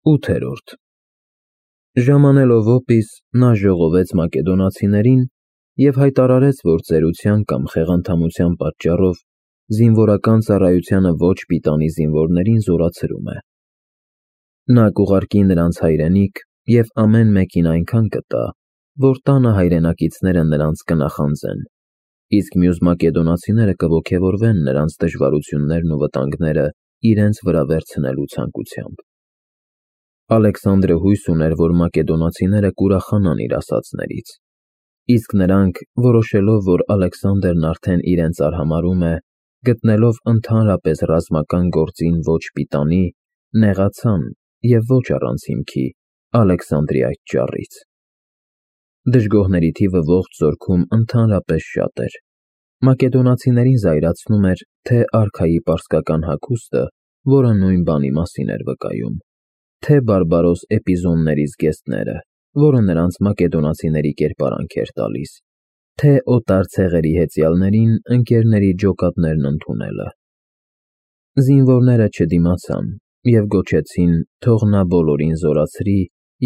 8-րդ Ժամանելով օպիս, նա ժողովեց մակեդոնացիներին և հայտարարեց, որ ծերության կամ խեղանդամության պատճառով զինվորական ծառայությանը ոչ պիտանի զինվորներին զորացրում է։ Նա կուղարկի նրանց հայրենիք և ամեն մեկին այնքան կտա, որ տանը հայրենակիցները նրանց կնախանձեն, իսկ մյուս մակեդոնացիները կոգևորվեն նրանց դժվարություններն ու վտանգները իրենց վրա վերցնելու ցանկությամբ։ Ալեքսանդրը հույս ուներ, որ մակեդոնացիները կուրախանան իր ասածներից, իսկ նրանք, որոշելով, որ Ալեքսանդրն արդեն իրենց արհամարհում է, գտնելով ընդհանրապես ռազմական գործին ոչ պիտանի, նեղացան և ոչ առանց հիմքի Ալեքսանդրի այդ ճառից։ Դժգոհների թիվը ողջ զորքում ընդհանրապես շատ էր։ Մակեդոնացիներին զայրացնում էր թե արքայի պարսկական հագուստը, որը նույն բանի մասին էր վկայում, թե բարբարոս Էպիզոնների զգեստները, որը նրանց մակեդոնացիների կերպարանք էր տալիս, թե օտար ցեղերի հեծյալներին ընկերների ջոկատներն ընդունելը։ Զինվորները չդիմացան և գոչեցին, թող նա բոլորին զորացրի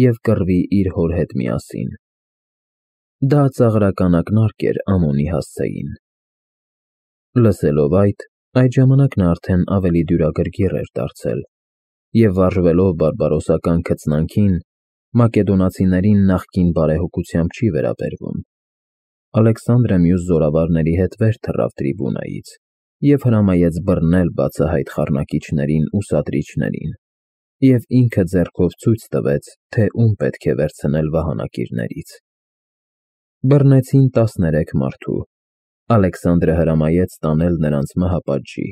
և կռվի իր հոր հետ միասին։ Դա ծաղրական ակնարկ էր Ամոնի հասցեին։ Լսելով այդ ժամանակ նա արդեն ավելի դյուրագրգիռ էր դարձել և վարժվելով բարբարոսական քծնանքին, մակեդոնացիներին նախկին բարեհոգությամբ չի վերաբերվում։ Ալեքսանդրը մյուս զորավարների հետ վեր թռավ տրիբունայից և հրամայեց բռնել բացահայտ խառնակիչներին ու սադրիչներին, և ինքը ձեռքով ցույց տվեց, թե ում պետք է վերցնել վահանակիրներից։ Բռնեցին 13 մարդու։ Ալեքսանդրը հրամայեց տանել նրանց մահապատժի։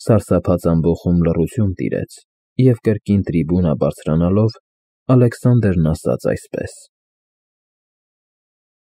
Սարսափած ամբոխում լռություն տիրեց, և կրկին տրիբունա բարձրանալով, Ալեքսանդրն ասաց այսպես.